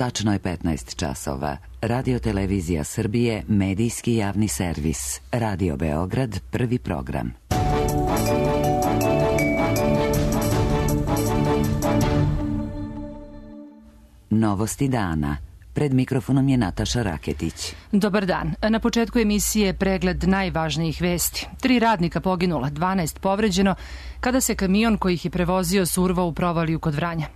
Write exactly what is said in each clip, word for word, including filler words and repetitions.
Tačno je petnaest časova. Radio Televizija Srbije, medijski javni servis. Radio Beograd, prvi program. Novosti dana. Pred mikrofonom je Nataša Raketić. Dobar dan. Na početku emisije pregled najvažnijih vesti. Tri radnika poginula, dvanaest povređeno, kada se kamion koji ih je prevozio survao u provaliju kod Vranja.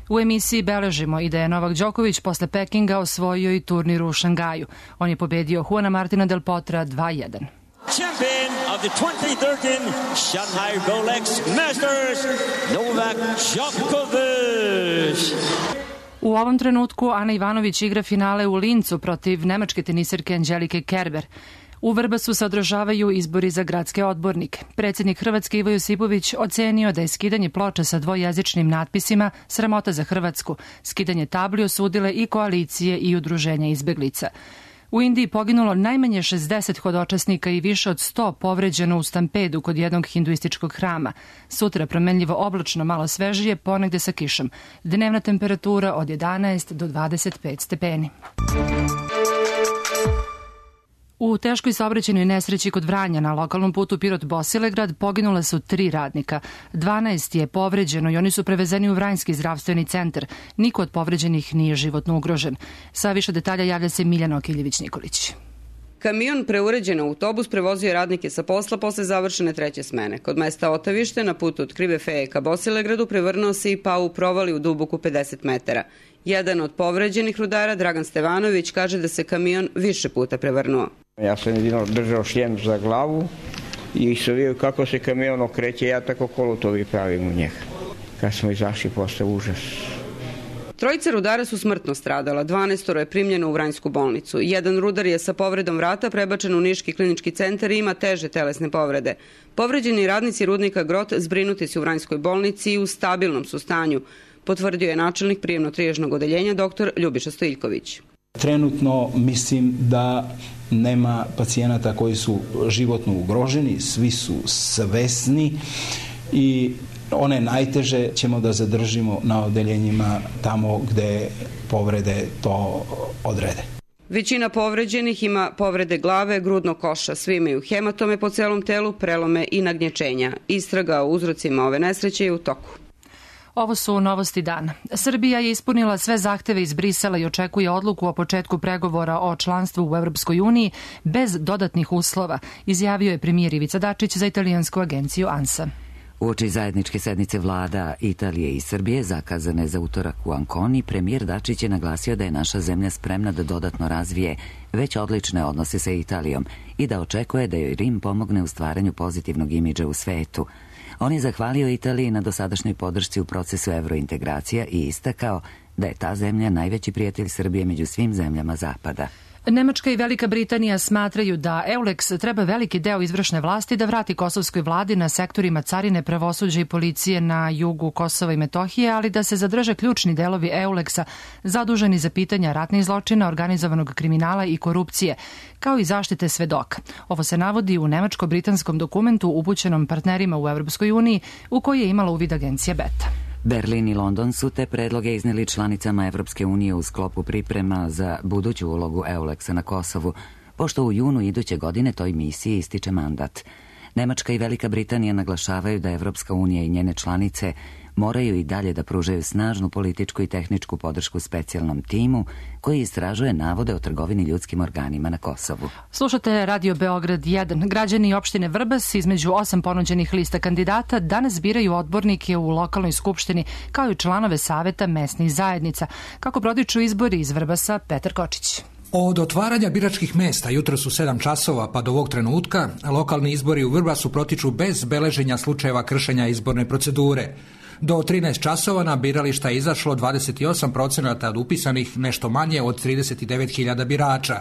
U emisiji beležimo i da je Novak Đoković posle Pekinga osvojio i turnir u Šangaju. On je pobedio Juana Martina Del Potra dva jedan. Champion of the twenty thirteen Shanghai Rolex Masters, Novak Djokovic. U ovom trenutku Ana Ivanović igra finale u Lincu protiv nemačke tenisirke Angelike Kerber. U Vrbasu se održavaju izbori za gradske odbornike. Predsjednik Hrvatske Ivo Josipović ocenio da je skidanje ploča sa dvojezičnim natpisima sramota za Hrvatsku. Skidanje tabli osudile i koalicije i udruženja izbeglica. U Indiji poginulo najmanje šezdeset hodočasnika i više od sto povređeno u stampedu kod jednog hinduističkog hrama. Sutra promenljivo oblačno, malo svežije, ponegde sa kišom. Dnevna temperatura od jedanaest do dvadeset pet stepeni. U teškoj saobraćajnoj nesreći kod Vranja na lokalnom putu Pirot-Bosilegrad poginula su tri radnika. dvanaest je povređeno i oni su prevezeni u Vranjski zdravstveni centar. Niko od povređenih nije životno ugrožen. Sa više detalja javlja se Miljana Okiljević-Nikolić. Kamion preuređen autobus prevozio je radnike sa posla posle završene treće smene. Kod mesta Otavište na putu od Krive Feje ka Bosilegradu prevrnuo se i pao u provali u duboku pedeset metara. Jedan od povređenih rudara, Dragan Stevanović, kaže da se kamion više puta prevrnuo. Ja sam jedino držao šljem za glavu i sam vidio kako se kamion okreće, ja tako kolutovi pravim u njega. Kad smo izašli, posle užas. Trojica rudara su smrtno stradala, dvanaestoro je primljeno u Vranjsku bolnicu. Jedan rudar je sa povredom vrata prebačen u Niški klinički centar i ima teže telesne povrede. Povređeni radnici rudnika Grot zbrinuti su u Vranjskoj bolnici i u stabilnom su stanju, potvrdio je načelnik prijemno-triježnog odeljenja dr. Ljubiša Stojiljković. Trenutno mislim da nema pacijenata koji su životno ugroženi, svi su svesni i one najteže ćemo da zadržimo na odeljenjima tamo gde povrede to odrede. Većina povređenih ima povrede glave, grudnog koša, svi imaju hematome po celom telu, prelome i nagnječenja. Istraga o uzrocima ove nesreće je u toku. Ovo su novosti dana. Srbija je ispunila sve zahteve iz Brisela i očekuje odluku o početku pregovora o članstvu u Evropskoj uniji bez dodatnih uslova, izjavio je premijer Ivica Dačić za italijansku agenciju ANSA. Uoči zajedničke sednice vlada Italije i Srbije zakazane za utorak u Anconi, premijer Dačić je naglasio da je naša zemlja spremna da dodatno razvije već odlične odnose sa Italijom i da očekuje da joj Rim pomogne u stvaranju pozitivnog imidža u svetu. On je zahvalio Italiji na dosadašnjoj podršci u procesu evrointegracija i istakao da je ta zemlja najveći prijatelj Srbije među svim zemljama Zapada. Nemačka i Velika Britanija smatraju da EULEX treba veliki deo izvršne vlasti da vrati kosovskoj vladi na sektorima carine, pravosuđa i policije na jugu Kosova i Metohije, ali da se zadrže ključni delovi EULEX-a zaduženi za pitanja ratnih zločina, organizovanog kriminala i korupcije, kao i zaštite svedoka. Ovo se navodi u nemačko-britanskom dokumentu upućenom partnerima u Evropskoj uniji u koji je imala uvid agencija Beta. Berlin i London su te predloge izneli članicama Evropske unije u sklopu priprema za buduću ulogu EULEX-a na Kosovu, pošto u junu iduće godine toj misiji ističe mandat. Nemačka i Velika Britanija naglašavaju da Evropska unija i njene članice moraju i dalje da pružaju snažnu političku i tehničku podršku specijalnom timu koji istražuje navode o trgovini ljudskim organima na Kosovu. Slušate Radio Beograd jedan. Građani opštine Vrbas između osam ponuđenih lista kandidata danas biraju odbornike u lokalnoj skupštini kao i članove saveta mesnih zajednica. Kako prodiču izbori iz Vrbasa, Petar Kočić. Od otvaranja biračkih mesta jutros u sedam časova pa do ovog trenutka lokalni izbori u Vrbasu protiču bez beleženja slučajeva kršenja izborne procedure. Do trinaest časova na birališta je izašlo dvadeset osam procenata od upisanih, nešto manje od trideset devet hiljada birača.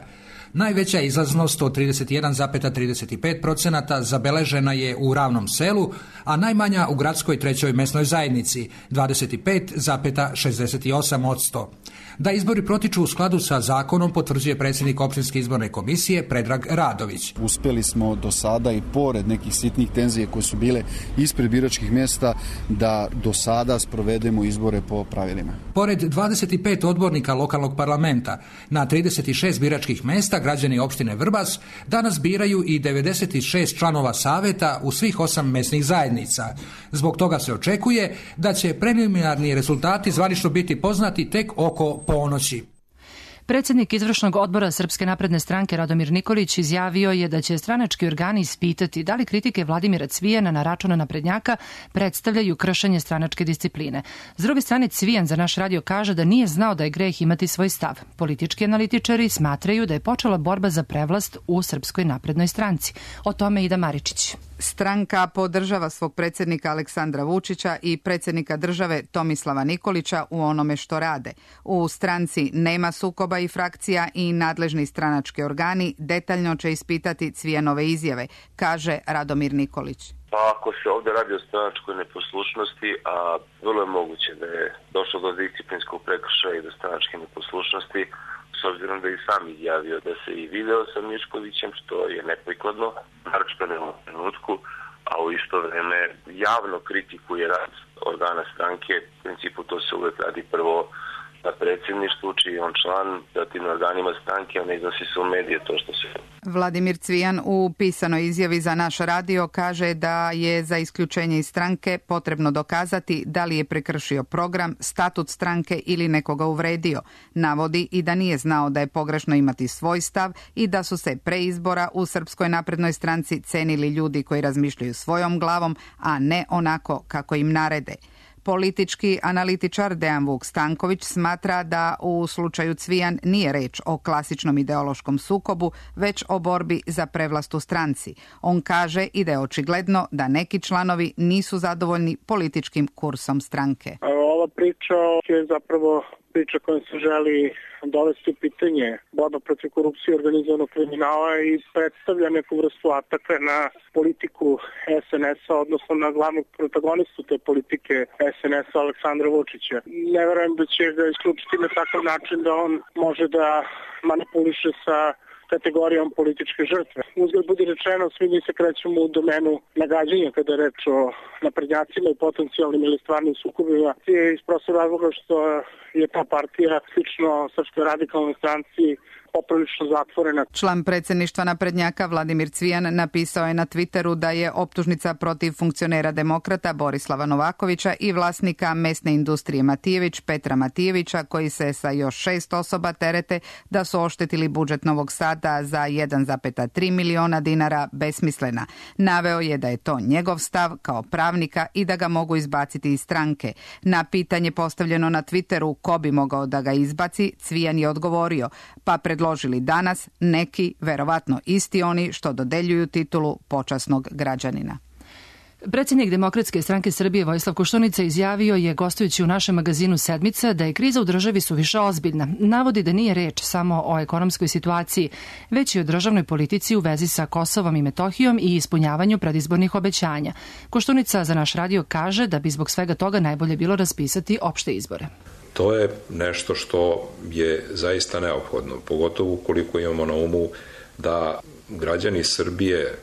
Najveća izlaznost od trideset jedan zarez trideset pet procenata zabeležena je u Ravnom Selu, a najmanja u gradskoj trećoj mesnoj zajednici, dvadeset pet zarez šezdeset osam posto. Da izbori protiču u skladu sa zakonom potvrđuje predsjednik opštinske izborne komisije Predrag Radović. Uspeli smo do sada i pored nekih sitnih tenzije koje su bile ispred biračkih mjesta da do sada sprovedemo izbore po pravilima. Pored dvadeset pet odbornika lokalnog parlamenta, na trideset šest biračkih mjesta građani opštine Vrbas danas biraju i devedeset šest članova saveta u svih osam mesnih zajednica. Zbog toga se očekuje da će preliminarni rezultati zvanično biti poznati tek oko ponoći. Predsjednik izvršnog odbora Srpske napredne stranke Radomir Nikolić izjavio je da će stranački organi ispitati da li kritike Vladimira Cvijana na račun naprednjaka predstavljaju kršenje stranačke discipline. S druge strane, Cvijan za naš radio kaže da nije znao da je greh imati svoj stav. Politički analitičari smatraju da je počela borba za prevlast u Srpskoj naprednoj stranci. O tome Ida Maričić. Stranka podržava svog predsjednika Aleksandra Vučića i predsjednika države Tomislava Nikolića u onome što rade. U stranci nema sukoba i frakcija i nadležni stranački organi detaljno će ispitati Cvijanove izjave, kaže Radomir Nikolić. Pa ako se ovdje radi o stranačkoj neposlušnosti, a vrlo je moguće da je došlo do disciplinskog prekršaja i do stranačke neposlušnosti, s obzirom da je i sam izjavio da se i video sa Miškovićem, što je neprikladno, naročito ne u trenutku, a u isto vreme javno kritikuje rad organa stranke. U principu to se uvek radi prvo na predsjedništvu, čiji on član, zatim na organima stranke, a ne iznosi se u medije to što se... Vladimir Cvijan u pisanoj izjavi za naš radio kaže da je za isključenje iz stranke potrebno dokazati da li je prekršio program, statut stranke ili nekoga uvredio. Navodi i da nije znao da je pogrešno imati svoj stav i da su se pre izbora u Srpskoj naprednoj stranci cenili ljudi koji razmišljaju svojom glavom, a ne onako kako im narede. Politički analitičar Dejan Vuk Stanković smatra da u slučaju Cvijan nije reč o klasičnom ideološkom sukobu, već o borbi za prevlast u stranci. On kaže i da je očigledno da neki članovi nisu zadovoljni političkim kursom stranke. Ova priča je zapravo priča kojom se želi dovesti u pitanje borba protiv korupcije i organizovanog kriminala i predstavlja neku vrstu ataka na politiku es en es-a, odnosno na glavnog protagonistu te politike es en es-a Aleksandra Vučića. Ne verujem da će ga isključiti na takav način da on može da manipuliše sa kategorijom političke žrtve. Uzgled budi rečeno, svi mi se krećemo u domenu nagađanja kada je reč o naprednjacima i potencijalnim ili stvarnim sukobima. I iz prostog razloga što je ta partija slično Srpskoj radikalnoj stranci poprilično zatvorena. Član predsjedništva naprednjaka Vladimir Cvijan napisao je na Twitteru da je optužnica protiv funkcionera demokrata Borislava Novakovića i vlasnika mesne industrije Matijević Petra Matijevića, koji se sa još šest osoba terete da su oštetili budžet Novog Sada za jedan zarez tri miliona dinara besmislena. Naveo je da je to njegov stav kao pravnika i da ga mogu izbaciti iz stranke. Na pitanje postavljeno na Twitteru ko bi mogao da ga izbaci, Cvijan je odgovorio, pa pred predložili danas neki, verovatno isti oni što dodeljuju titulu počasnog građanina. Predsjednik Demokratske stranke Srbije Vojislav Koštunica izjavio je, gostujući u našem magazinu Sedmica, da je kriza u državi suviše ozbiljna. Navodi da nije reč samo o ekonomskoj situaciji, već i o državnoj politici u vezi sa Kosovom i Metohijom i ispunjavanju predizbornih obećanja. Koštunica za naš radio kaže da bi zbog svega toga najbolje bilo raspisati opšte izbore. To je nešto što je zaista neophodno, pogotovo ukoliko imamo na umu da građani Srbije,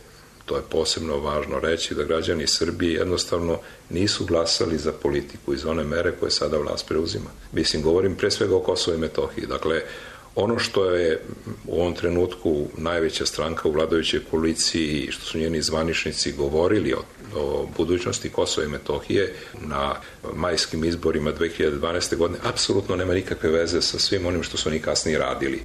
to je posebno važno reći, da građani Srbije jednostavno nisu glasali za politiku iz one mere koje sada vlast preuzima. Mislim, govorim pre svega o Kosovo i Metohiji. Dakle, ono što je u ovom trenutku najveća stranka u vladajućoj koaliciji i što su njeni zvaničnici govorili o, o budućnosti Kosova i Metohije na majskim izborima dve hiljade dvanaeste. godine, apsolutno nema nikakve veze sa svim onim što su oni kasnije radili.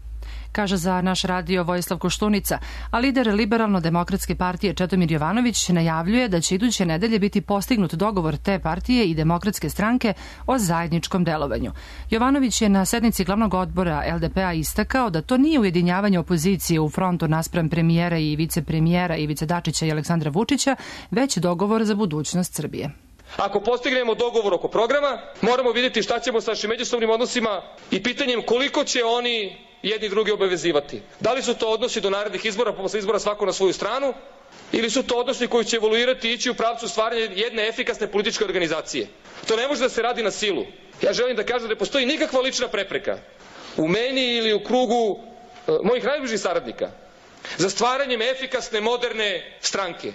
Kaže za naš radio Vojislav Koštunica, a lider Liberalno-demokratske partije Čedomir Jovanović najavljuje da će iduće nedelje biti postignut dogovor te partije i Demokratske stranke o zajedničkom delovanju. Jovanović je na sednici glavnog odbora el de pe a istakao da to nije ujedinjavanje opozicije u frontu naspram premijera i vicepremijera Ivice Dačića i Aleksandra Vučića, već dogovor za budućnost Srbije. Ako postignemo dogovor oko programa, moramo vidjeti šta ćemo sa našim međusobnim odnosima i pitanjem koliko će oni jedni drugi obavezivati. Da li su to odnosi do narednih izbora, posle izbora svako na svoju stranu, ili su to odnosi koji će evoluirati i ići u pravcu stvaranja jedne efikasne političke organizacije. To ne može da se radi na silu. Ja želim da kažem da ne postoji nikakva lična prepreka u meni ili u krugu uh, mojih najbližih saradnika za stvaranjem efikasne, moderne stranke.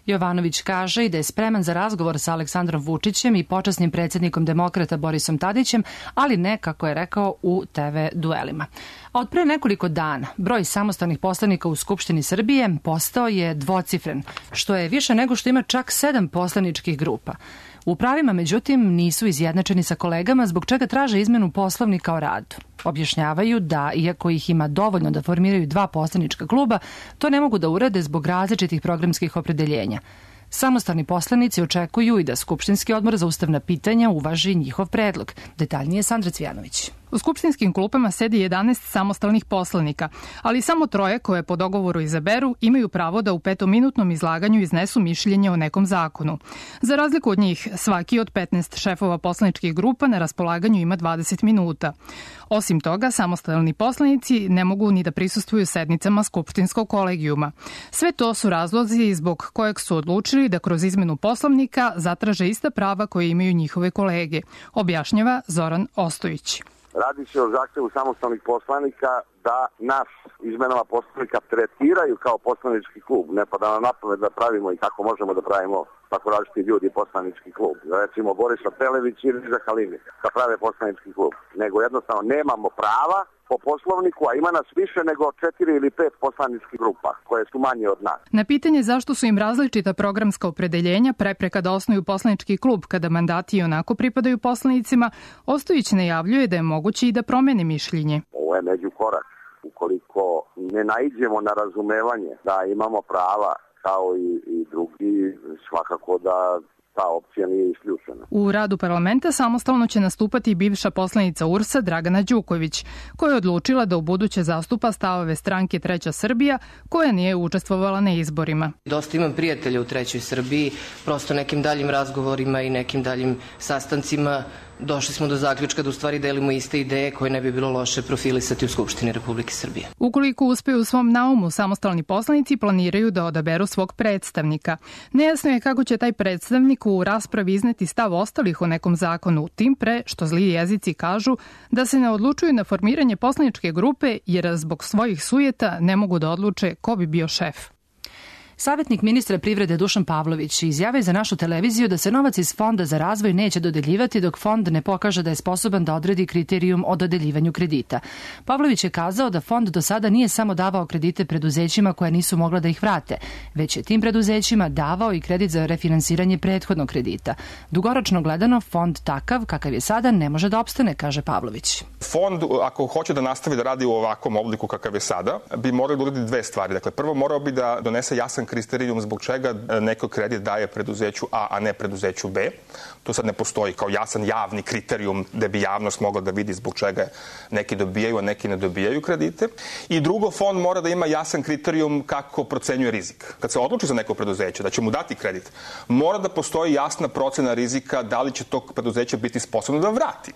Jovanović kaže i da je spreman za razgovor sa Aleksandrom Vučićem i počasnim predsjednikom demokrata Borisom Tadićem, ali ne, kako je rekao, u te ve duelima. A od pre nekoliko dana broj samostalnih poslanika u Skupštini Srbije postao je dvocifren, što je više nego što ima čak sedam poslaničkih grupa. U pravima, međutim, nisu izjednačeni sa kolegama, zbog čega traže izmenu Poslovnika o radu. Objašnjavaju da, iako ih ima dovoljno da formiraju dva poslanička kluba, to ne mogu da urade zbog različitih programskih opredeljenja. Samostalni poslanici očekuju i da Skupštinski odbor za ustavna pitanja uvaži njihov predlog. Detaljnije Sandra Cvijanović. U skupštinskim klupama sedi jedanaest samostalnih poslanika, ali samo troje koje po dogovoru izaberu imaju pravo da u petominutnom izlaganju iznesu mišljenje o nekom zakonu. Za razliku od njih, svaki od petnaest šefova poslaničkih grupa na raspolaganju ima dvadeset minuta. Osim toga, samostalni poslanici ne mogu ni da prisustvuju sednicama skupštinskog kolegijuma. Sve to su razlozi zbog kojeg su odlučili da kroz izmenu Poslovnika zatraže ista prava koje imaju njihove kolege, objašnjava Zoran Ostojić. Radi se o zahtevu samostalnih poslanika da nas izmenama Poslovnika tretiraju kao poslanički klub. Ne pa da nam napamet da pravimo i kako možemo da pravimo tako različiti ljudi poslanički klub. Recimo Borisa Pelević ili Riza Halimi da prave poslanički klub. Nego jednostavno nemamo prava po Poslovniku, a ima nas više nego četiri ili pet poslaničkih grupa koje su manje od nas. Na pitanje zašto su im različita programska opredeljenja prepreka da osnuju poslanički klub kada mandati i onako pripadaju poslanicima, Ostojić najavljuje da je moguće i da promene mišljenje. Ovo je međukorak. Ukoliko ne naiđemo na razumevanje da imamo prava kao i, i drugi, svakako da ta opcija nije isključena. U radu parlamenta samostalno će nastupati bivša poslanica U R S-a Dragana Đuković, koja je odlučila da u buduće zastupa stavove stranke Treća Srbija, koja nije učestvovala na izborima. Dosta imam prijatelja u Trećoj Srbiji, prosto nekim daljim razgovorima i nekim daljim sastancima došli smo do zaključka da u stvari delimo iste ideje koje ne bi bilo loše profilisati u Skupštini Republike Srbije. Ukoliko uspeju u svom naumu, samostalni poslanici planiraju da odaberu svog predstavnika. Nejasno je kako će taj predstavnik u raspravi izneti stav ostalih o nekom zakonu, tim pre što zli jezici kažu da se ne odlučuju na formiranje poslaničke grupe jer zbog svojih sujeta ne mogu da odluče ko bi bio šef. Savjetnik ministra privrede Dušan Pavlović izjavio za našu televiziju da se novac iz Fonda za razvoj neće dodeljivati dok fond ne pokaže da je sposoban da odredi kriterijum o dodeljivanju kredita. Pavlović je kazao da fond do sada nije samo davao kredite preduzećima koja nisu mogla da ih vrate, već je tim preduzećima davao i kredit za refinansiranje prethodnog kredita. Dugoročno gledano, fond takav kakav je sada ne može da opstane, kaže Pavlović. Fond, ako hoće da nastavi da radi u ovakvom obliku kakav je sada, bi morao da uradi dve stvari. Dakle, prvo morao bi da donese jasan kriterijum zbog čega neko kredit daje preduzeću A, a ne preduzeću B. To sad ne postoji kao jasan javni kriterijum da bi javnost mogla da vidi zbog čega neki dobijaju, a neki ne dobijaju kredite. I drugo, fond mora da ima jasan kriterijum kako procenjuje rizik. Kad se odluči za neko preduzeće da će mu dati kredit, mora da postoji jasna procena rizika da li će tog preduzeća biti sposobno da vrati.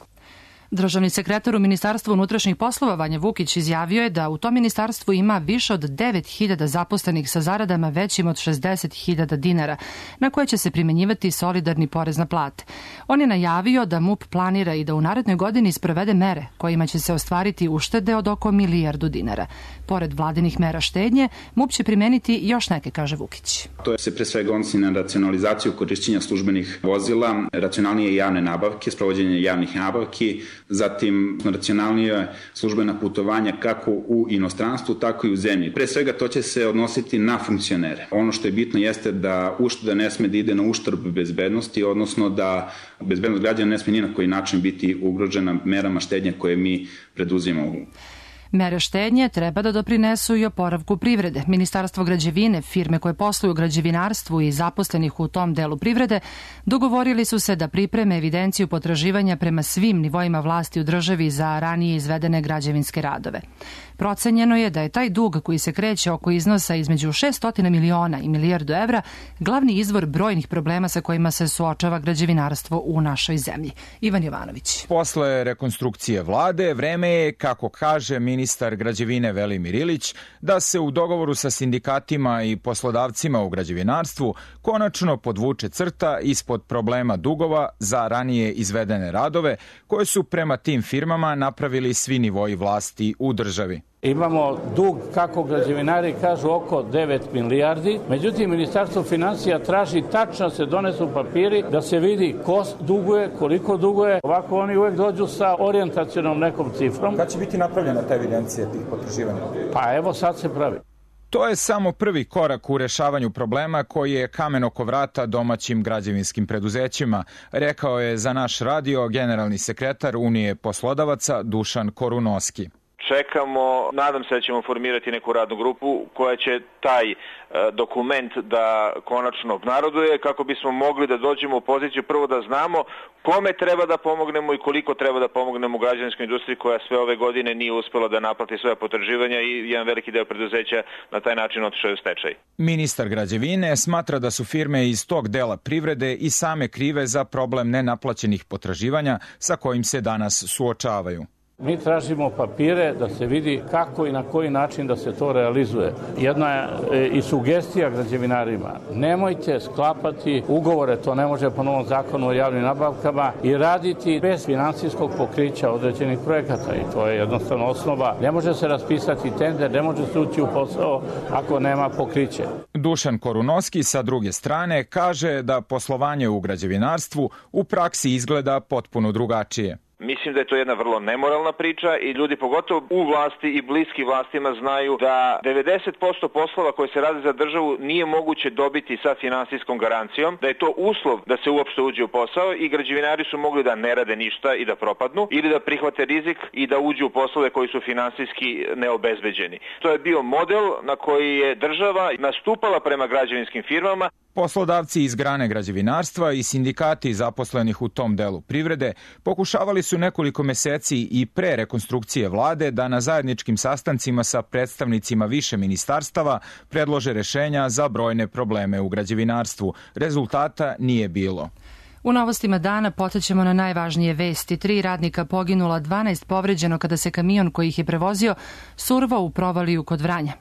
Državni sekretar u Ministarstvu unutrašnjih poslova Vanja Vukić izjavio je da u tom ministarstvu ima više od devet hiljada zaposlenih sa zaradama većim od šezdeset hiljada dinara, na koje će se primenjivati solidarni porez na plate. On je najavio da MUP planira i da u narednoj godini sprovede mere kojima će se ostvariti uštede od oko milijardu dinara. Pored vladinih mera štednje, MUP će primeniti još neke, kaže Vukić. To se pre svega odnosi na racionalizaciju korišćenja službenih vozila, racionalnije javne nabavke, sprovođenje javnih nabavki, zatim racionalnije službena putovanja kako u inostranstvu, tako i u zemlji. Pre svega to će se odnositi na funkcionere. Ono što je bitno jeste da ušteda ne sme da ide na uštrb bezbednosti, odnosno da bezbednost građana ne sme ni na koji način biti ugrožena merama štednje koje mi preduzimamo. Mere štednje treba da doprinesu i oporavku privrede. Ministarstvo građevine, firme koje posluju u građevinarstvu i zaposlenih u tom delu privrede dogovorili su se da pripreme evidenciju potraživanja prema svim nivoima vlasti u državi za ranije izvedene građevinske radove. Procenjeno je da je taj dug koji se kreće oko iznosa između šessto miliona i milijardu evra glavni izvor brojnih problema sa kojima se suočava građevinarstvo u našoj zemlji. Ivan Jovanović. Posle rekonstrukcije vlade vreme je, kako kaže ministar ministar građevine Velimir Ilić da se u dogovoru sa sindikatima i poslodavcima u građevinarstvu konačno podvuče crta ispod problema dugova za ranije izvedene radove koje su prema tim firmama napravili svi nivoji vlasti u državi. Imamo dug, kako građevinari kažu, oko devet milijardi. Međutim, Ministarstvo finansija traži tačno se donesu papiri da se vidi ko duguje, koliko duguje. Ovako oni uvek dođu sa orijentacionom nekom cifrom. Kad će biti napravljena ta evidencija tih potraživanja? Pa evo sad se pravi. To je samo prvi korak u rešavanju problema koji je kamen oko vrata domaćim građevinskim preduzećima, rekao je za naš radio generalni sekretar Unije poslodavaca Dušan Korunoski. Čekamo, nadam se da ćemo formirati neku radnu grupu koja će taj e, dokument da konačno obnaroduje kako bismo mogli da dođemo u poziciju prvo da znamo kome treba da pomognemo i koliko treba da pomognemo građevinskoj industriji koja sve ove godine nije uspela da naplati svoje potraživanja i jedan veliki deo preduzeća na taj način otišao u stečaj. Ministar građevine smatra da su firme iz tog dela privrede i same krive za problem nenaplaćenih potraživanja sa kojim se danas suočavaju. Mi tražimo papire da se vidi kako i na koji način da se to realizuje. Jedna je i sugestija građevinarima. Nemojte sklapati ugovore, to ne može po novom zakonu o javnim nabavkama, i raditi bez finansijskog pokrića određenih projekata. I to je jednostavno osnova. Ne može se raspisati tender, ne može se ući u posao ako nema pokriće. Dušan Korunoski sa druge strane kaže da poslovanje u građevinarstvu u praksi izgleda potpuno drugačije. Mislim da je to jedna vrlo nemoralna priča i ljudi pogotovo u vlasti i bliski vlastima znaju da devedeset posto poslova koje se rade za državu nije moguće dobiti sa finansijskom garancijom, da je to uslov da se uopšte uđe u posao i građevinari su mogli da ne rade ništa i da propadnu ili da prihvate rizik i da uđu u poslove koji su finansijski neobezbeđeni. To je bio model na koji je država nastupala prema građevinskim firmama. Poslodavci iz grane građevinarstva i sindikati zaposlenih u tom delu privrede pokušavali su nekoliko meseci i pre rekonstrukcije vlade da na zajedničkim sastancima sa predstavnicima više ministarstava predlože rešenja za brojne probleme u građevinarstvu. Rezultata nije bilo. U novostima dana podsjećamo na najvažnije vesti. Tri radnika poginula, dvanaest povređeno kada se kamion koji ih je prevozio survao u provaliju kod Vranja.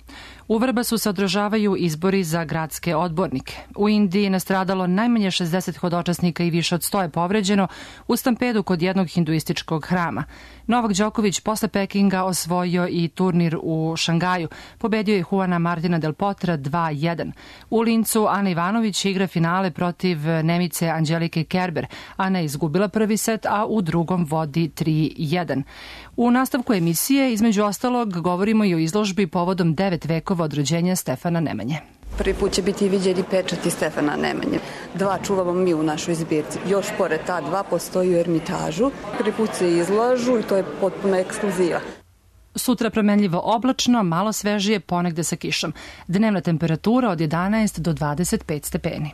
U Vrbasu se održavaju izbori za gradske odbornike. U Indiji je nastradalo najmanje šezdeset hodočasnika i više od sto je povređeno u stampedu kod jednog hinduističkog hrama. Novak Đoković posle Pekinga osvojio i turnir u Šangaju. Pobedio je Juana Martina del Potra dva jedan. U Lincu Ana Ivanović igra finale protiv Nemice Anđelike Kerber. Ana je izgubila prvi set, a u drugom vodi tri jedan. U nastavku emisije, između ostalog, govorimo i o izložbi povodom devet vekova od rođenja Stefana Nemanje. Prvi put će biti viđeni pečati Stefana Nemanje. Dva čuvamo mi u našoj zbirci. Još pored ta dva postoji u Ermitažu. Prvi put se izlažu i to je potpuno ekskluziva. Sutra promenljivo oblačno, malo svežije, ponegde sa kišom. Dnevna temperatura od jedanaest do dvadeset pet stepeni.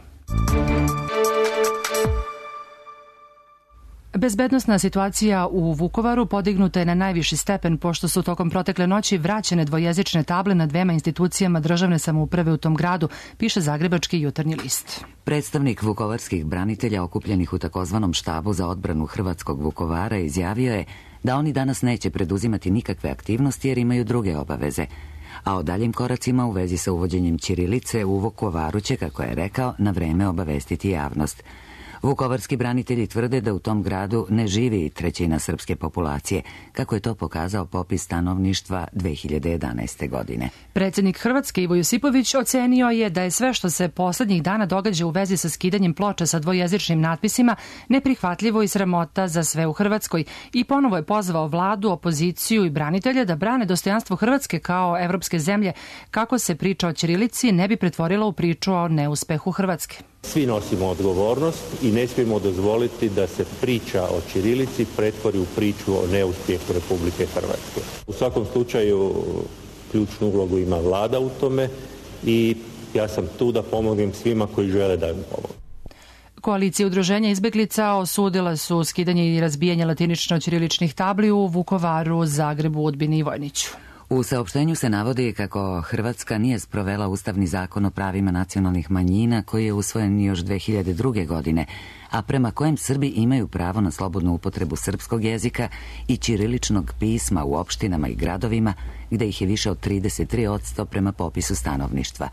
Bezbednosna situacija u Vukovaru podignuta je na najviši stepen pošto su tokom protekle noći vraćene dvojezične table na dvema institucijama državne samouprave u tom gradu, piše Zagrebački jutarnji list. Predstavnik vukovarskih branitelja okupljenih u takozvanom štabu za odbranu Hrvatskog Vukovara izjavio je da oni danas neće preduzimati nikakve aktivnosti jer imaju druge obaveze. A o daljim koracima u vezi sa uvođenjem ćirilice u Vukovaru će, kako je rekao, na vreme obavestiti javnost. Vukovarski branitelji tvrde da u tom gradu ne živi trećina srpske populacije, kako je to pokazao popis stanovništva dve hiljade jedanaeste. godine. Predsjednik Hrvatske Ivo Josipović ocenio je da je sve što se poslednjih dana događa u vezi sa skidanjem ploča sa dvojezičnim natpisima neprihvatljivo i sramota za sve u Hrvatskoj i ponovo je pozvao vladu, opoziciju i branitelje da brane dostojanstvo Hrvatske kao evropske zemlje, kako se priča o ćirilici ne bi pretvorila u priču o neuspehu Hrvatske. Svi nosimo odgovornost i ne smijemo dozvoliti da se priča o ćirilici pretvori u priču o neuspjehu Republike Hrvatske. U svakom slučaju ključnu ulogu ima vlada u tome i ja sam tu da pomognem svima koji žele da im pomognem. Koalicija udruženja izbeglica osudila su skidanje i razbijanje latinično-ćiriličnih tabli u Vukovaru, Zagrebu, Udbini i Vojniću. U saopštenju se navodi kako Hrvatska nije sprovela Ustavni zakon o pravima nacionalnih manjina koji je usvojen još dve hiljade druge. godine, a prema kojem Srbi imaju pravo na slobodnu upotrebu srpskog jezika i ćiriličnog pisma u opštinama i gradovima gde ih je više od trideset tri posto prema popisu stanovništva.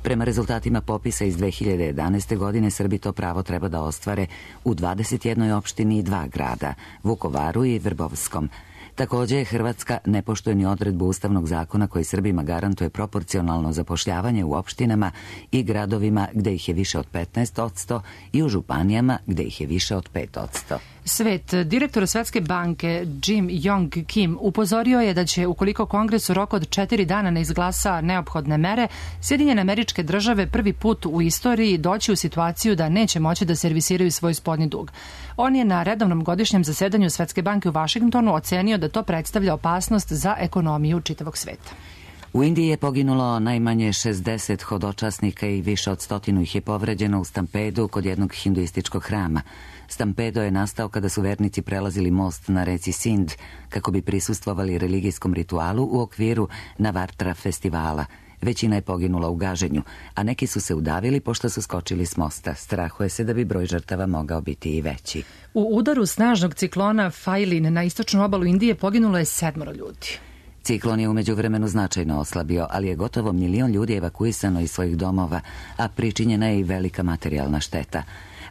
Prema rezultatima popisa iz dve hiljade jedanaeste. godine Srbi to pravo treba da ostvare u dvadeset jednoj opštini i dva grada, Vukovaru i Vrbovskom. Također, Hrvatska ne poštuje ni odredbu Ustavnog zakona koji Srbima garantuje proporcionalno zapošljavanje u opštinama i gradovima gde ih je više od petnaest posto i u županijama gde ih je više od pet posto. Svet, direktor Svetske banke Jim Yong Kim upozorio je da će, ukoliko Kongres u roku od četiri dana ne izglasa neophodne mere, Sjedinjene Američke Države prvi put u istoriji doći u situaciju da neće moći da servisiraju svoj spoljni dug. On je na redovnom godišnjem zasedanju Svetske banke u Vašingtonu ocenio da to predstavlja opasnost za ekonomiju čitavog sveta. U Indiji je poginulo najmanje šezdeset hodočasnika i više od stotinu ih je povređeno u stampedu kod jednog hinduističkog hrama. Stampedo je nastao kada su vernici prelazili most na reci Sind kako bi prisustvovali religijskom ritualu u okviru Navartra festivala. Većina je poginula u gaženju, a neki su se udavili pošto su skočili s mosta. Strahuje se da bi broj žrtava mogao biti i veći. U udaru snažnog ciklona Failin na istočnu obalu Indije poginulo je sedmoro ljudi. Ciklon je umeđu vremenu značajno oslabio, ali je gotovo milion ljudi evakuisano iz svojih domova, a pričinjena je i velika materijalna šteta.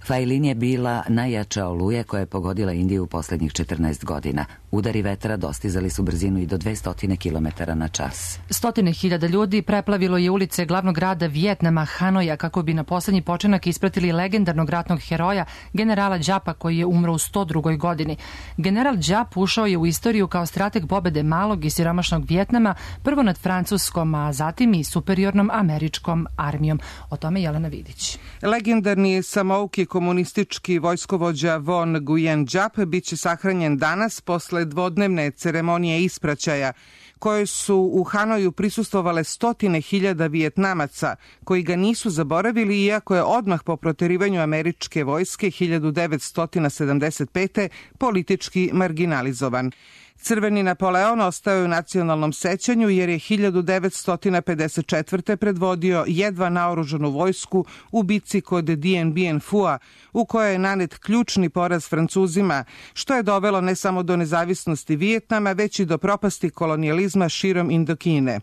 Failin je bila najjača oluja koja je pogodila Indiju u posljednjih četrnaest godina. Udari vetra dostizali su brzinu i do dvesta kilometara na čas. Stotine hiljada ljudi preplavilo je ulice glavnog grada Vijetnama, Hanoja, kako bi na poslednji počinak ispratili legendarnog ratnog heroja, generala Đapa, koji je umro u sto drugoj. godini. General Đap ušao je u istoriju kao strateg pobede malog i siromašnog Vijetnama, prvo nad Francuskom, a zatim i superiornom američkom armijom. O tome Jelena Vidić. Legendarni samouki komunistički vojskovođa Von Nguyen Giap biće sahranjen danas posle dvodnevne ceremonije ispraćaja koje su u Hanoju prisustvovale stotine hiljada Vijetnamaca koji ga nisu zaboravili, iako je odmah po proterivanju američke vojske hiljadu devetsto sedamdeset pete. politički marginalizovan. Crveni Napoleon ostao je u nacionalnom sećanju jer je hiljadu devetsto pedeset četvrte. predvodio jedva naoružanu vojsku u bitci kod Dien Bien Phu, u kojoj je nanet ključni poraz Francuzima, što je dovelo ne samo do nezavisnosti Vijetnama, već i do propasti kolonijalizma širom Indokine.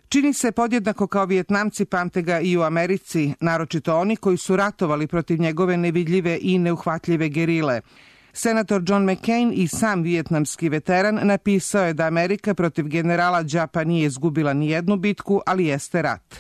Čini se podjednako kao Vijetnamci pamte ga i u Americi, naročito oni koji su ratovali protiv njegove nevidljive i neuhvatljive gerile. Senator John McCain i sam vijetnamski veteran napisao je da Amerika protiv generala Đapa nije izgubila ni jednu bitku, ali jeste rat.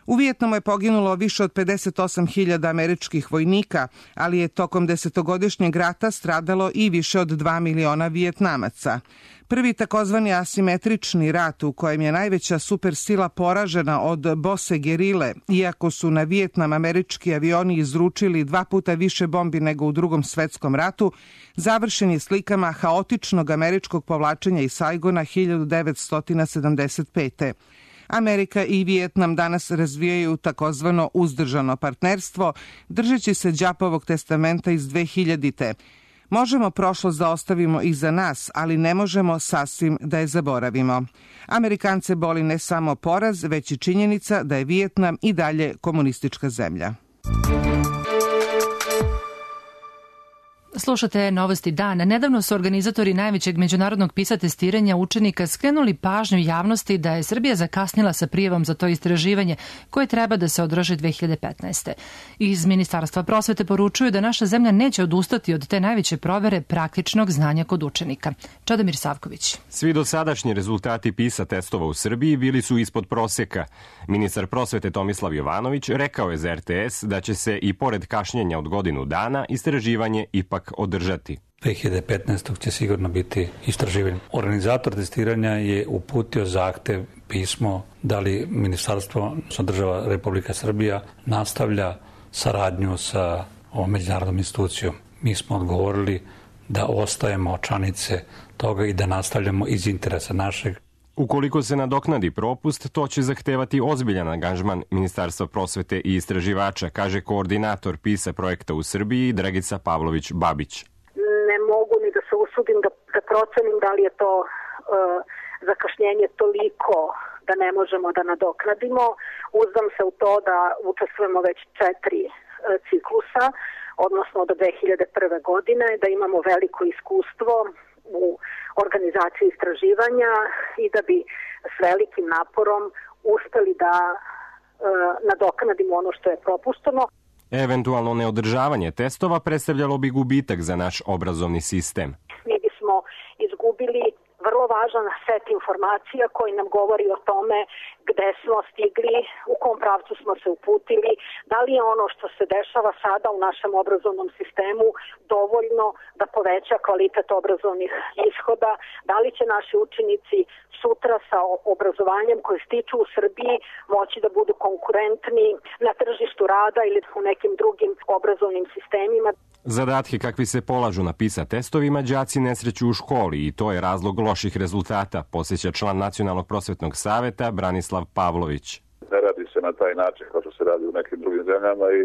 U Vijetnamu je poginulo više od pedeset osam hiljada američkih vojnika, ali je tokom desetogodišnjeg rata stradalo i više od dva miliona Vijetnamaca. Prvi takozvani asimetrični rat u kojem je najveća supersila poražena od bose gerile, iako su na Vijetnam američki avioni izručili dva puta više bombi nego u Drugom svetskom ratu, završen je slikama haotičnog američkog povlačenja iz Saigona hiljadu devetsto sedamdeset pete. Amerika i Vijetnam danas razvijaju takozvano uzdržano partnerstvo, držeći se Đapovog testamenta iz dve hiljadite. Možemo prošlost da ostavimo iza nas, ali ne možemo sasvim da je zaboravimo. Amerikance boli ne samo poraz, već i činjenica da je Vijetnam i dalje komunistička zemlja. Slušate Novosti dana. Nedavno su organizatori najvećeg međunarodnog PISA testiranja učenika skrenuli pažnju javnosti da je Srbija zakasnila sa prijavom za to istraživanje koje treba da se održi dve hiljade petnaeste. Iz Ministarstva prosvete poručuju da naša zemlja neće odustati od te najveće provere praktičnog znanja kod učenika. Čadomir Savković. Svi dosadašnji rezultati PISA testova u Srbiji bili su ispod proseka. Ministar prosvete Tomislav Jovanović rekao je za R T S da će se i pored kašnjenja od godinu dana istraživanje ipak održati. dve hiljade petnaeste. će sigurno biti istraživanje. Organizator testiranja je uputio zahtev, pismo, da li ministarstvo, država Republika Srbija, nastavlja saradnju sa ovom međunarodnom institucijom. Mi smo odgovorili da ostajemo članice toga i da nastavljamo iz interesa našeg. Ukoliko se nadoknadi propust, to će zahtevati ozbiljan angažman Ministarstva prosvete i istraživača, kaže koordinator PISA projekta u Srbiji Dragica Pavlović-Babić. Ne mogu ni da se usudim da, da procenim da li je to uh, zakašnjenje toliko da ne možemo da nadoknadimo. Uzdam se u to da učestvujemo već četiri ciklusa, odnosno od dve hiljade prve. godine, da imamo veliko iskustvo u organizaciji istraživanja i da bi s velikim naporom uspeli da e, nadoknadimo ono što je propušteno. Eventualno neodržavanje testova predstavljalo bi gubitak za naš obrazovni sistem. Mi bismo izgubili vrlo važan set informacija koji nam govori o tome gde smo stigli, u kom pravcu smo se uputili, da li je ono što se dešava sada u našem obrazovnom sistemu dovoljno da poveća kvalitet obrazovnih ishoda, da li će naši učenici sutra sa obrazovanjem koje stiču u Srbiji moći da budu konkurentni na tržištu rada ili u nekim drugim obrazovnim sistemima. Zadatke kakvi se polažu na PISA testovima đaci ne sreću u školi i to je razlog loših rezultata, posjeća član Nacionalnog prosvetnog saveta Branislav Pavlović. Ne radi se na taj način kao što se radi u nekim drugim zemljama i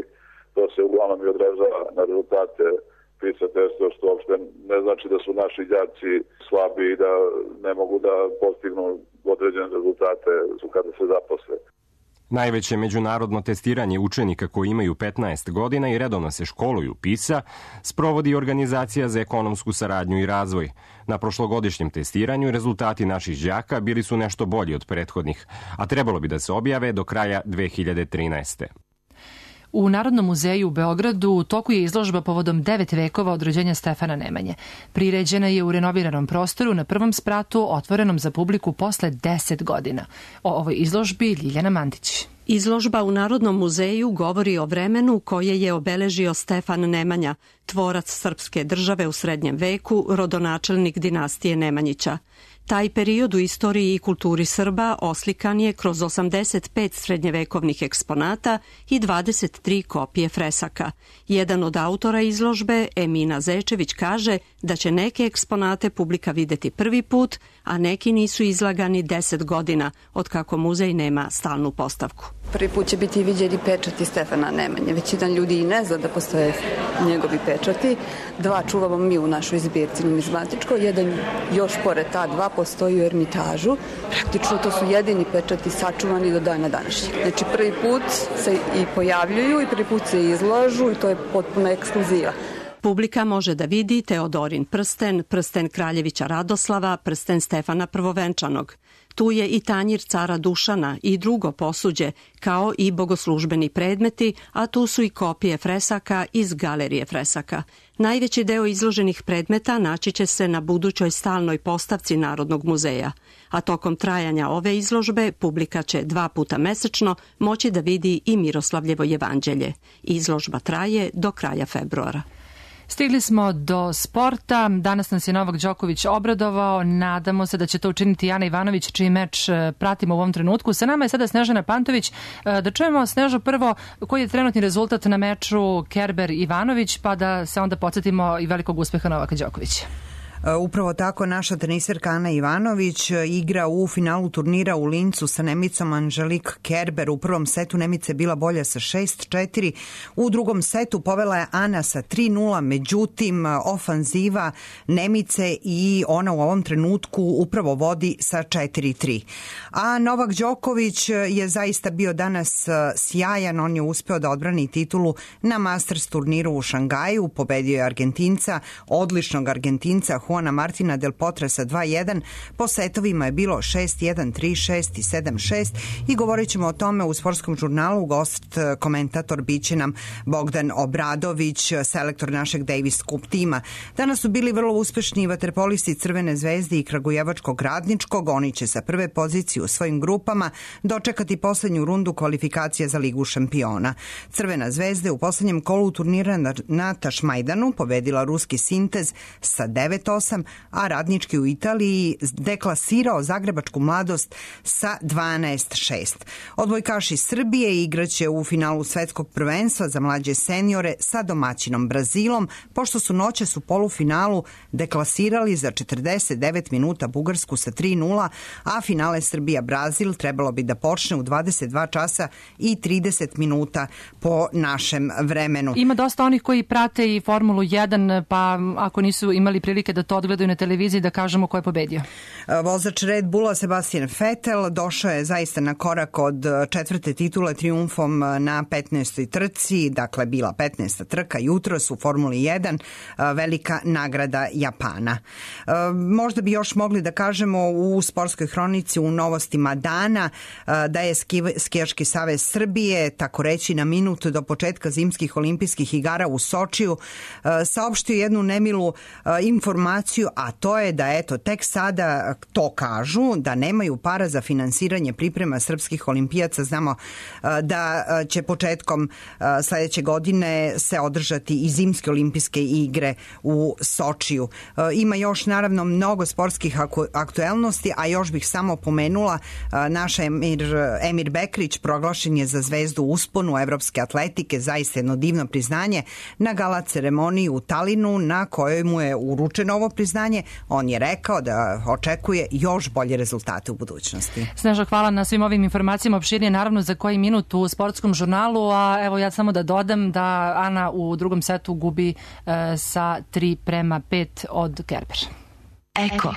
to se uglavnom i odražava na rezultate PISA testova, što uopšte ne znači da su naši đaci slabi i da ne mogu da postignu određene rezultate kada se zaposle. Najveće međunarodno testiranje učenika koji imaju petnaest godina i redovno se školuju PISA sprovodi Organizacija za ekonomsku saradnju i razvoj. Na prošlogodišnjem testiranju rezultati naših đaka bili su nešto bolji od prethodnih, a trebalo bi da se objave do kraja dve hiljade trinaeste. U Narodnom muzeju u Beogradu u toku je izložba povodom devet vekova od rođenja Stefana Nemanje. Priređena je u renoviranom prostoru na prvom spratu, otvorenom za publiku posle deset godina. O ovoj izložbi Ljiljana Mandić. Izložba u Narodnom muzeju govori o vremenu koje je obeležio Stefan Nemanja, tvorac srpske države u srednjem veku, rodonačelnik dinastije Nemanjića. Taj period u istoriji i kulturi Srba oslikan je kroz osamdeset pet srednjevekovnih eksponata i dvadeset tri kopije fresaka. Jedan od autora izložbe, Emina Zečević, kaže da će neke eksponate publika videti prvi put, a neki nisu izlagani deset godina, otkako muzej nema stalnu postavku. Prvi put će biti viđeni pečati Stefana Nemanje. Većina ljudi i ne zna da postoje njegovi pečati. Dva čuvamo mi u našoj zbirci numizmatičkoj, jedan još pored ta dva postoji u Ermitažu. Praktično to su jedini pečati sačuvani do dana današnjeg. Znači prvi put se i pojavljuju i prvi put se izlažu i to je potpuno ekskluziva. Publika može da vidi Teodorin prsten, prsten kraljevića Radoslava, prsten Stefana Prvovenčanog. Tu je i tanjir cara Dušana i drugo posuđe, kao i bogoslužbeni predmeti, a tu su i kopije fresaka iz galerije fresaka. Najveći deo izloženih predmeta naći će se na budućoj stalnoj postavci Narodnog muzeja, a tokom trajanja ove izložbe publika će dva puta mesečno moći da vidi i Miroslavljevo jevanđelje. Izložba traje do kraja februara. Stigli smo do sporta. Danas nas je Novak Đoković obradovao. Nadamo se da će to učiniti Ana Ivanović, čiji meč pratimo u ovom trenutku. Sa nama je sada Snežana Pantović. Da čujemo, Snežo, prvo koji je trenutni rezultat na meču Kerber-Ivanović, pa da se onda podsjetimo i velikog uspeha Novaka Đokovića. Upravo tako, naša teniserka Ana Ivanović igra u finalu turnira u Lincu sa Nemicom Angelique Kerber. U prvom setu Nemica je bila bolja sa šest četiri. U drugom setu povela je Ana sa tri nula, međutim ofanziva Nemice i ona u ovom trenutku upravo vodi sa četiri tri. A Novak Đoković je zaista bio danas sjajan. On je uspeo da odbrani titulu na Masters turniru u Šangaju. Pobedio je Argentinca, odličnog Argentinca Juana Martina del Potra sa dva jedan. Po setovima je bilo šest jedan, tri šest i sedam šest i govorit ćemo o tome u sportskom žurnalu. Gost, komentator biće nam Bogdan Obradović, selektor našeg Davis Cup tima. Danas su bili vrlo uspešni vaterpolisti Crvene zvezde i Kragujevačkog Radničkog. Oni će sa prve pozicije u svojim grupama dočekati poslednju rundu kvalifikacija za Ligu šampiona. Crvena zvezda u poslednjem kolu turnira na Tašmajdanu pobedila ruski Sintez sa devet osam, a Radnički u Italiji deklasirao Zagrebačku Mladost sa dvanaest šest. Odbojkaši Srbije igraće u finalu svetskog prvenstva za mlađe seniore sa domaćinom Brazilom, pošto su noćas u polufinalu deklasirali za četrdeset devet minuta Bugarsku sa tri nula, a finale Srbija-Brazil trebalo bi da počne u dvadeset dva časa i trideset minuta po našem vremenu. Ima dosta onih koji prate i Formulu jedan, pa ako nisu imali prilike da to to odgledaju na televiziji da kažemo ko je pobedio. Vozač Red Bulla Sebastian Vettel došao je zaista na korak od četvrte titule trijumfom na petnaestoj trci, dakle bila petnaesta trka jutros u Formuli jedan, velika nagrada Japana. Možda bi još mogli da kažemo u sportskoj hronici u novostima dana da je Skijaški savez Srbije, tako reći na minut do početka zimskih olimpijskih igara u Sočiju, saopštio jednu nemilu informaciju, a to je da eto tek sada to kažu, da nemaju para za finansiranje priprema srpskih olimpijaca. Znamo da će početkom sledeće godine se održati i zimske olimpijske igre u Sočiju. Ima još naravno mnogo sportskih aktuelnosti, a još bih samo pomenula naš Emir, Emir Bekrić proglašen je za zvezdu usponu evropske atletike, zaista jedno divno priznanje na gala ceremoniji u Talinu na kojoj mu je uručeno ovo priznanje. On je rekao da očekuje još bolje rezultate u budućnosti. Sneža, hvala na svim ovim informacijama. Opširnije naravno za koji minut u sportskom žurnalu, a evo ja samo da dodam da Ana u drugom setu gubi e, sa tri prema pet od Kerber. Eko.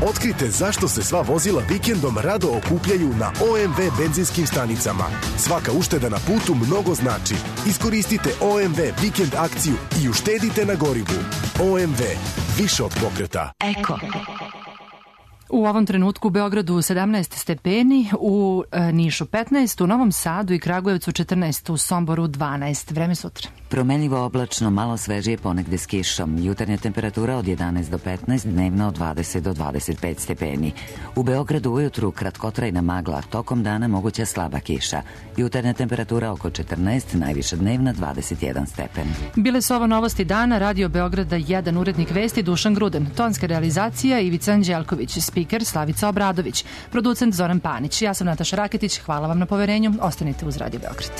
Otkrite zašto se sva vozila vikendom rado okupljaju na O M V benzinskim stanicama. Svaka ušteda na putu mnogo znači. Iskoristite O M V vikend akciju i uštedite na gorivu. O M V. Više od pokreta. Eko. U ovom trenutku u Beogradu sedamnaest stepeni, u Nišu petnaest, u Novom Sadu i Kragujevcu četrnaest, u Somboru dvanaest. Vreme sutra. Promenljivo oblačno, malo svežije, ponegde s kišom. Jutarnja temperatura od jedanaest do petnaest, dnevna od dvadeset do dvadeset pet stepeni. U Beogradu ujutru kratkotrajna magla, tokom dana moguća slaba kiša. Jutarnja temperatura oko četrnaest, najviša dnevna dvadeset jedan stepen. Bile su ovo novosti dana, Radio Beograda jedan, urednik vesti Dušan Gruden, tonska realizacija Ivica Anđelković, spiker Slavica Obradović, producent Zoran Panić. Ja sam Nataša Raketić, hvala vam na poverenju, ostanite uz Radio Beograd.